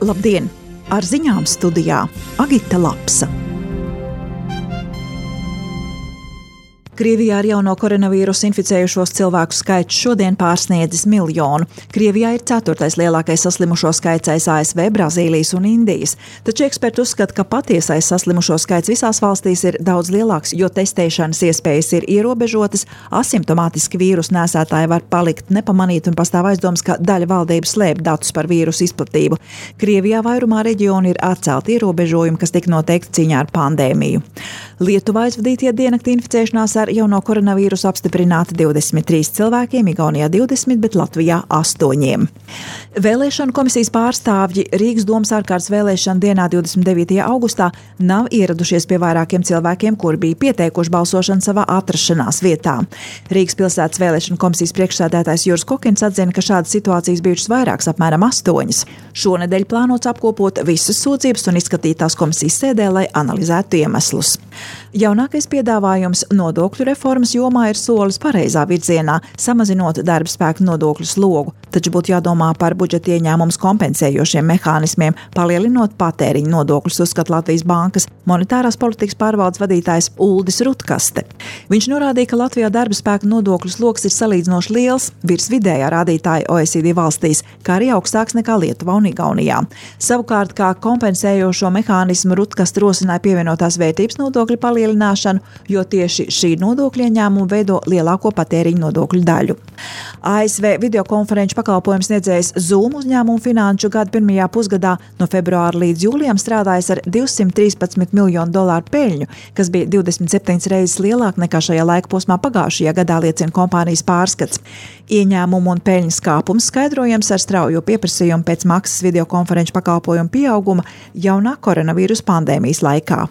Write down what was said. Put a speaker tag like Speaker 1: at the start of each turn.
Speaker 1: Labdien! Ar ziņām studijā Agita Lapsa. Krievijā ar jauno koronavīrusu inficējušos cilvēku skaits šodien pārsniedzis 1 miljonu. Krievijā ir 4. lielākais saslimušo skaits aiz ASV, Brazīlijas un Indijas. Taču eksperti uzskata, ka patiesais saslimušo skaits visās valstīs ir daudz lielāks, jo testēšanas iespējas ir ierobežotas, asimptomātiski vīrusu nēsātāji var palikt nepamanīti un pastāv aizdomas, ka daļa valdības slēp datus par vīrusu izplatību. Krievijā vairumā reģionu ir atcelti ierobežojumi, kas tika noteikti cīņā ar pandēmiju. Lietuvā aizvadītie diennakti inficēšanās ar jauno koronavīrusu apstiprināti 23 cilvēkiem, Igaunijā 20, bet Latvijā 8. Vēlēšanu komisijas pārstāvji Rīgas domas ārkārtas vēlēšanu dienā 29. augustā nav ieradušies pie vairākiem cilvēkiem, kuri bija pieteikuši balsošanu savā atrašanās vietā. Rīgas pilsētas vēlēšanu komisijas priekšsēdētājs Juris Kokins atzina, ka šādas situācijas bijušas vairākas, apmēram 8. Šonedēļ plānots apkopot visas sūdzības un izskatīt tās komisijas sēdē, lai analizētu iemeslus. Jaunākais piedāvājums nodokļu reformas jomā ir solis pareizā virzienā, samazinot darba spēka nodokļu slogu, taču būtu jādomā par budžeta ieņēmumus kompensējošiem mehānismiem, palielinot patēriņu nodokļus, uzskata Latvijas Bankas monetārās politikas pārvaldes vadītājs Uldis Rutkaste. Viņš norādīja, ka Latvijā darba spēka nodokļu sloks ir salīdzinoši liels, virs vidējā rādītāja OECD valstīs, kā arī augstāks nekā Lietuvā un Igaunijā. Savukārt, kā kompensējošo mehānismu Rutkaste rosināja pievienotās vērtības nodokļu palielināšanu, jo tieši šī nodokļu ieņēmuma veido lielāko patēriņu nodokļu daļu. ASV videokonferenču pakalpojums sniedzējs Zoom uzņēmumu finanšu gada pirmajā pusgadā no februāra līdz jūlijam strādājas ar $213 miljonu peļņu, kas bija 27 reizes lielāk nekā šajā laika posmā pagājušajā gadā, liecina kompānijas pārskats. Ieņēmumu un peļņas kāpums skaidrojams ar straujo pieprasījumu pēc maksas videokonferenču pakalpojumu pieauguma jaunā koronavīrusa pandēmijas laikā.